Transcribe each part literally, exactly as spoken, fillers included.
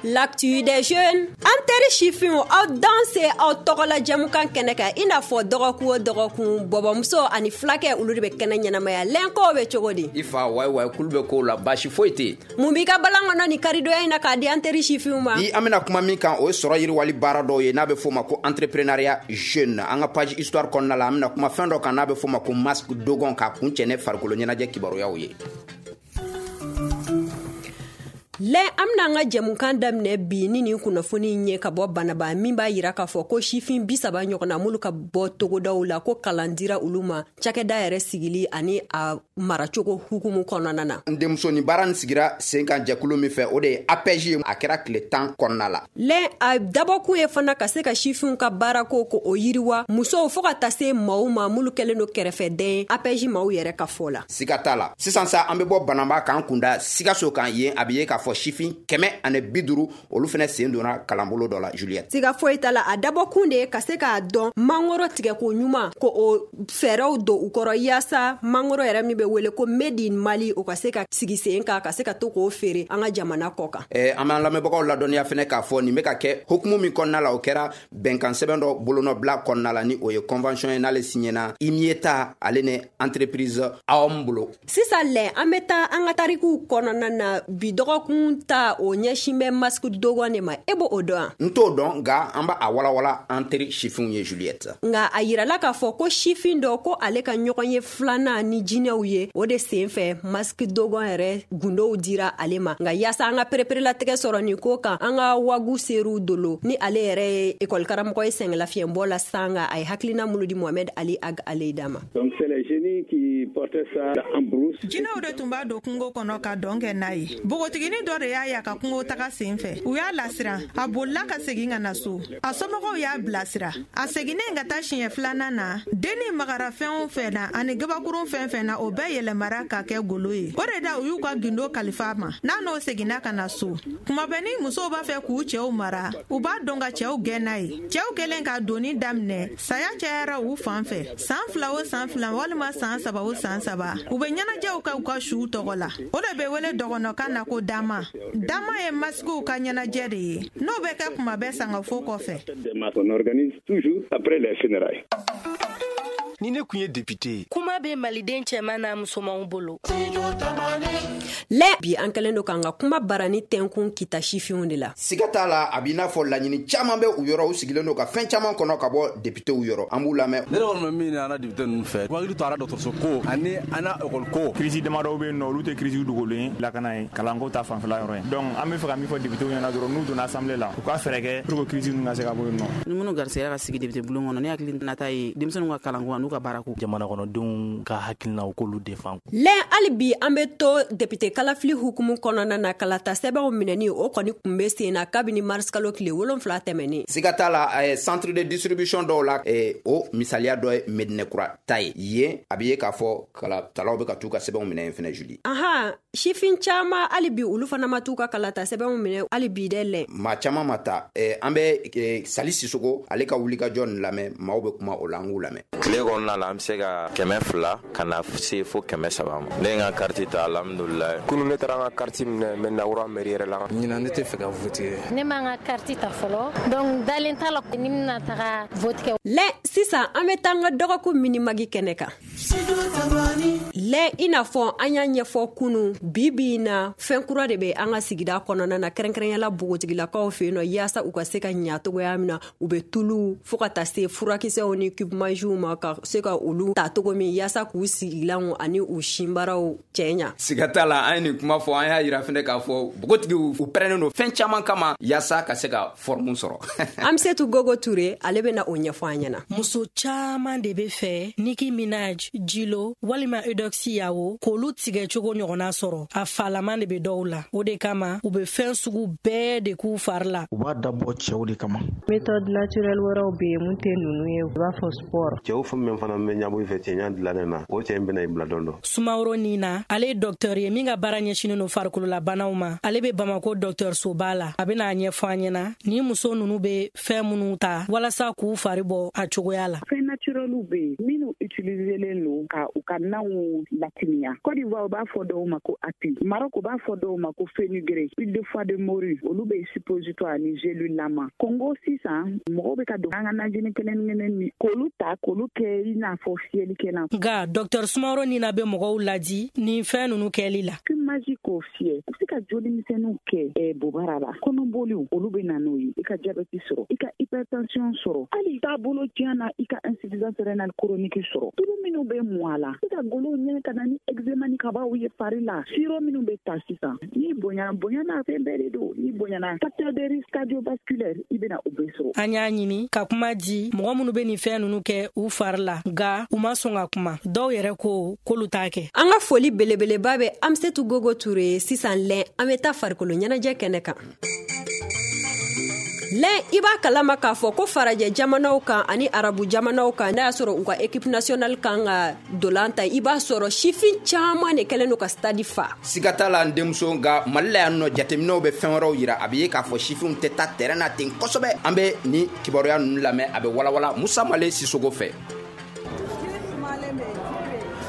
L'actu des jeunes. An teri sifinw, aw danse aw tɔgɔla jɛmukan kɛnɛ kan, i n'a fɔ dɔgɔkun o dɔgɔkun, bɔbɔmuso ani fulakɛ, olu de bɛ kɛnɛ ɲɛnamaya. Lɛnkow bɛ cogo di? I fa wayi wayi, kulu bɛ kow la, baasi foyi tɛ yen. Mun b'i ka balan kɔnɔ ni karidonya in na k'a di an teri sifinw ma? Bi, an bɛna kuma min kan, o ye sɔrɔ yiriwali baara dɔw ye n'a bɛ f'o ma ko entrepreneuriat jeune. An ka page histoire kɔnɔna la, an bɛna kuma fɛn dɔ kan n'a bɛ f'o ma ko masque dogon, k'a kun cɛ ne farikolo ɲɛnajɛ kibaruyaw ye. Lɛ, an bɛna an ka jɛmukan daminɛ bi ni nin kunnafoni in ye ka bɔ Banaba, min b'a yira k'a fɔ ko sifin bi saba ɲɔgɔnna minnu ka bɔ togodaw la, ko kalan dira olu ma cakɛda yɛrɛ sigili ani a maracogo hukumu kɔnɔna na. N denmuso, nin baara nin sigira sen kan jɛkulu min fɛ, o de ye A P E J ye. A kɛra tile tan kɔnɔna la. Lɛ, a dabɔkun ye fana ka se ka sifinw ka baarako ko o yiriwa, musow fɔɔ ka taa se maaw ma minnu kɛlen do kɛrɛfɛdɛn ye, A P E J maaw yɛrɛ ka fɔ la. Siga t'a la. Sisan sa, an bɛ bɔ Banaba k'an kunda Sikaso kan. Yen, a bɛ ye k'a fɔ sifin kɛmɛ ani bi duuru, olu fɛnɛ sen donna kalanbolo dɔ la, Juliette. Siga foyi t'a la, a dabɔkun de ye ka se k'a dɔn mangoro tigɛko ɲuman, ko o fɛɛrɛw don u kɔrɔ, yaasa mangoro yɛrɛ min bɛ wele ko Made in Mali, o ka se ka sigi sen kan, ka se ka to k'o feere an ka jamana kɔ kan. Eh, an b'an lamɛnbagaw ladɔnniya fɛnɛ k'a fɔ nin bɛ ka kɛ hukumu min kɔnɔna la, o kɛra bɛnkan sɛbɛn dɔ bolonɔbila kɔnɔna la, ni o ye convention ye n'ale signena IMIETA ale ni entreprise A O M bolo. Sisan lɛ, an bɛ taa an ka tarikuw kɔnɔna na. Bi dɔgɔkun ta, o ɲɛsin bɛ masque dogon de ma. E b'o o dɔn wa? N t'o dɔn, nka an b'a a walawala an teri sifinw ye, Juliette. Nka a yirala k'a fɔ ko sifin dɔ ko ale ka ɲɔgɔn ye filanan ni jinɛw ye, o de sen fɛ masque dogon yɛrɛ gundow dira ale ma. Nka yaasa an ka pereperelatigɛ sɔrɔ nin ko kan, an ka wagu seru dolo ni ale yɛrɛ ye ekɔlikaramɔgɔ ye sɛgɛnlafiyɛnbɔ la sanga, a ye hakilina minnu di Mohamɛd Ali Ag Aleyida ma. Donc c'est les génies qui portaient ça en brousse. Jinɛw de tun b'a don kungo kɔnɔ ka dɔn kɛ n'a ye. Npogotiginin dɔ de y'a ye a ka kungo taga sen fɛ, u y'a lasiran, a bolila ka segin ka na so. A somɔgɔw y'a bilasira. A seginnen ka taa siɲɛ filanan na, dennin magara fɛn o fɛn na ani gabakurun fɛn fɛn na, o bɛɛ yɛlɛmara ka kɛ golo ye. O de da u y'u ka gindo kalifa a ma n'a n'o seginna ka na so. Kuma bɛɛ, ni musow b'a fɛ k'u cɛw mara, u b'a dɔn ka cɛw gɛn n'a ye. Cɛw kɛlen ka doni daminɛ, saya cayara u fan fɛ. San fila o san fila walima san saba o san saba, u bɛ ɲɛnajɛw kɛ u ka suw tɔgɔ la. O de bɛ wele dɔgɔnɔkan na ko dama. Dama ye masigiw ka ɲɛnajɛ de ye n'o bɛ kɛ kuma bɛɛ sangafo kɔfɛ. Des masques qu'on organise toujours après les funérailles. Ni ne kun ye député ye. Kuma bɛ maliden cɛman n'a musomanw bolo. Lɛ, bi an kɛlen do k'an ka kuma barani tɛnkun Kita sifinw de la. Siga t'a la, a b'i n'a fɔ laɲini caman bɛ u yɔrɔ, u sigilen don ka fɛn caman kɔnɔ ka bɔ députéw yɔrɔ. An b'u lamɛn. Ne yɛrɛ kɔni bɛ min ɲini an na député ninnu fɛ, u hakili to an na dɔgɔtɔrɔso ko ani an na école ko. Crise damadɔw bɛ yen nɔ, olu tɛ crise dogolen ye, lakana ye, kalanko ta fanfɛla yɔrɔ ye. Donc an bɛ fɛ ka min fɔ députéw ɲɛna dɔrɔn, n'u donna assemblée la, u ka fɛɛrɛ kɛ pour que crise ninnu ka se ka bɔ yen nɔ. Ni minnu garisɛgɛ ka sigi député bulon kɔnɔ, ne hakili nata ye denmisɛnninw ka kalanko an'u ka baarako. Jamana kɔnɔdenw ka hakilinaw k'olu défend. Lɛ, hali bi an bɛ to député kalafili hukumu kɔnɔna na. Kalata sɛbɛnw minɛni, o kɔni kun bɛ sen na kabini marisikalo tile wolonfila tɛmɛnen. Siga t'a la, eh, centre de distribution dɔw la, eh, o misaliya dɔ ye Medinɛkura ta ye. Yen, a bɛ ye k'a fɔ kalatalaw bɛ ka t'u ka sɛbɛnw minɛ yen fɛnɛ, Juli. Ahan, sifin caman hali bi, olu fana ma t'u ka kalata sɛbɛnw minɛ hali bi dɛ, lɛ. Maa caman ma ta. eh, an bɛ eh, Sali Sisogo ale ka wulikajɔ nin lamɛn. Maaw bɛ kuma o la, an k'u lamɛn. Tile kɔnɔna la, an bɛ se ka kɛmɛ fila ka na se fo kɛmɛ saba ma. Ne ye n ka kariti ta, alhamdulilayi. Kunu ne taara n ka kariti minɛ Mɛdinakura mairie yɛrɛ la. Ɲinan ne tɛ fɛ ka voter. Ne ma n ka kariti ta fɔlɔ, donc dalen t'a la ni bɛna taga vote kɛ. Lɛ, sisan an bɛ taa an ka dɔgɔkun minimagi kɛnɛ kan. Lɛ, i n'a fɔ an y'a ɲɛfɔ kunu, bi bi in na, fɛn kura de bɛ an ka sigida kɔnɔna na, kɛrɛnkɛrɛnyala bogotigilakaw fɛ yen nɔ, yaasa u ka se ka ɲa togoya min na, u bɛ tulu fɔɔ ka taa se furakisɛw ni cube ma, ka se ka olu ta togo min yaasa k'u sigilanw ani u sinbaraw cɛ ɲa. Siga t'a la, an ye nin kuma fɔ, an y'a yira fɛnɛ k'a fɔ bogotigiw, u pɛrɛnnen don fɛn caman kama yaasa ka se ka forme sɔrɔ. An bɛ se tu Gogo Ture, ale bɛna o ɲɛfɔ an ɲɛna. Muso caaman de be fɛ Nicki Minaj, Jilo walima Eudoxie Yawo k'olu tigɛ cogo ɲɔgɔnna sɔrɔ. A falaman de be dɔw la, o de kama u be fɛn sugu bɛɛ de k'u fari la. U b'a dabɔ cɛw de kama. Méthode naturelle wɛrɛw be yen mun tɛ ninnu ye, u b'a fɔ sport. Cɛw fɛn min fana bɛ ɲabɔ i fɛ cɛɲa dilannen na, o cɛ in bɛna i bila dɔn dɔ. Sumaworo Nina, ale ye dɔktɛr ye min ka baara ɲɛsinin no farikololabanaw ma. Ale be Bamako dɔktɛrsoba la. A bena a ɲɛfɔ an ɲɛna ni muso nunu be fɛn minnu ta walasa k'u fari bɔ a cogoya la. Fɛn naturɛliw be yen minnu utiliser utiliselen don ka u ka naw latimiya. Côte d'Ivoire, u b'a fɔ dɔw ma ko api. Maroc, u b'a fɔ dɔw ma ko fenugrec, huile de foie de morue, olu bɛ suppositoire ni gélule lama. Congo sisan, mɔgɔw bɛ ka don an ka najini kelen kelen ni k'olu ta k'olu kɛ i n'a fɔ fiyɛlikɛlan. Nka Docteur Sumaworo Nina bɛ mɔgɔw ladi nin fɛn ninnu kɛli la. Maji k'o fiyɛ, i bɛ se ka joli misɛnninw kɛ bobara la. Kɔnɔboliw, olu bɛ na n'o ye. I ka diabète sɔrɔ, i ka hypertension sɔrɔ, hali taabolo tiɲɛ na, i ka insuffisance rénale chronique sɔrɔ. Tulu minnu bɛ mɔ a la, i ka golow ɲɛ ka na ni eczéma ni kabaw ye fari la. Sirop minnu bɛ ta sisan, n'i bonyana, bonya n'a fɛn bɛɛ de don. N'i bonyana, facteur de risque cardiovasculaire, i bɛna o bɛɛ sɔrɔ. An y'a ɲini ka kuma di mɔgɔ minnu bɛ nin fɛn ninnu kɛ u fari la, nka u ma sɔn ka kuma. Dɔw yɛrɛ ko k'olu t'a kɛ. An ka foli belebeleba bɛ Amsetu Gogo Ture. Sisan lɛn, an bɛ taa farikolo ɲɛnajɛ kɛnɛ kan. Lɛn, i b'a kalama k'a fɔ ko farajɛ jamanaw kan ani arabu jamanaw kan, n'a y'a sɔrɔ u ka équipe nationale kan ka dolan ta, i b'a sɔrɔ sifin caman de kɛlen don ka stade fa. Siga t'a la n denmuso, nka Mali la yan nɔ, jateminɛw bɛ fɛn wɛrɛw yira. A bɛ ye k'a fɔ sifinw tɛ taa terrain na ten kosɛbɛ. An bɛ ni kibaruya ninnu lamɛn, a bɛ walawala Musa Male Sisogo fɛ.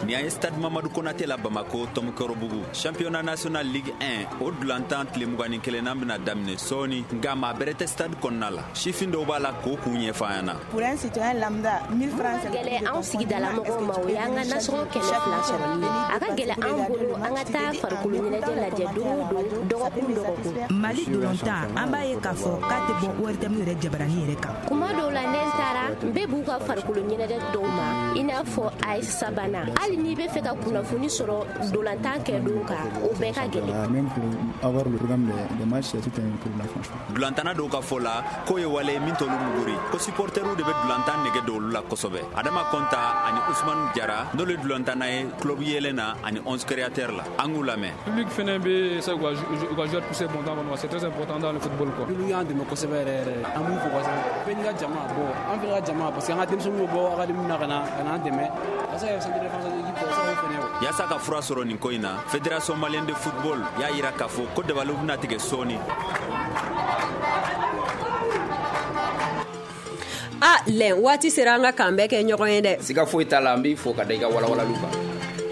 Nin ye stade Mamadu Konate la Bamako Tɔmɔkɔrɔbugu. Championnat national Ligue un, o dulantan tile mugan ni kelennan bɛna daminɛ sɔɔni, nka maa bɛrɛ tɛ stade kɔnɔna la. Sifin dɔw b'a la k'o kun ɲɛfɔ an ɲɛna. Pour un citoyen lambda, mille francs. Gɛlɛ anw sigidala mɔgɔw ma, o y'an ka nasɔngɔ kɛmɛ fila sɔrɔli ye. A ka gɛlɛ anw bolo an ka taa farikolo ɲɛnajɛ lajɛ don o don, dɔgɔkun dɔgɔkun. Mali dolantan, an b'a ye k'a fɔ k'a tɛ bɔ O R T M yɛrɛ jabarani yɛrɛ kan. Kuma dɔw la, ne taara n bɛ b'u ka farikolo ɲɛnajɛ dɔw ma, i n'a fɔ A S sabanan. Hali n'i bɛ fɛ ka kunnafoni sɔrɔ dolantan kɛ don kan, o bɛɛ ka gɛlɛn. Dulantanna dɔw ka fɔ la k'o ye wale min t'olu muguri, ko supporteriw de bɛ dulantan nege don olu la kosɛbɛ. Adama Kɔnta ani Usmanu Jara, n'olu ye dulantanna ye club yɛlɛn na ani onze créateurs la, an k'u lamɛn. Public fɛnɛ bɛ se u ka joueur pousser bon temps kɔnɔ, c'est très important dans le football quoi. Public y'an dɛmɛ kosɛbɛ yɛrɛ yɛrɛ, an b'u fo kosɛbɛ. Bɛɛ n'i ka jama, bon an fɛnɛ ka jama, parce que an ka denmisɛnninw bɛ bɔ académie na ka na ka n'an dɛmɛ. A se ka kɛ centre de défense équipe tɔ, a se ka k'o fɛnɛ ye. Yaasa ka fura sɔrɔ nin ko in na, Fédération malienne de football y'a yira k'a fɔ ko dabaliw bɛna tigɛ sɔɔni. A lɛn, waati sera an ka k'an bɛɛ kɛ ɲɔgɔn ye dɛ. Siga foyi t'a la, an b'i fo ka da i ka walawalaliw kan.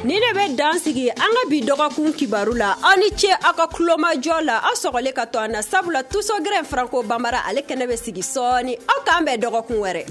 Ni ne bɛ dan sigi an ka bi dɔgɔkun kibaru la. Aw ni ce aw ka kulomajɔ la, aw sɔgɔlen ka to an na, sabula Tusogɛrɛn Franco Bambara ale kɛnɛ bɛ sigi sɔɔni. Aw k'an bɛn dɔgɔkun wɛrɛ.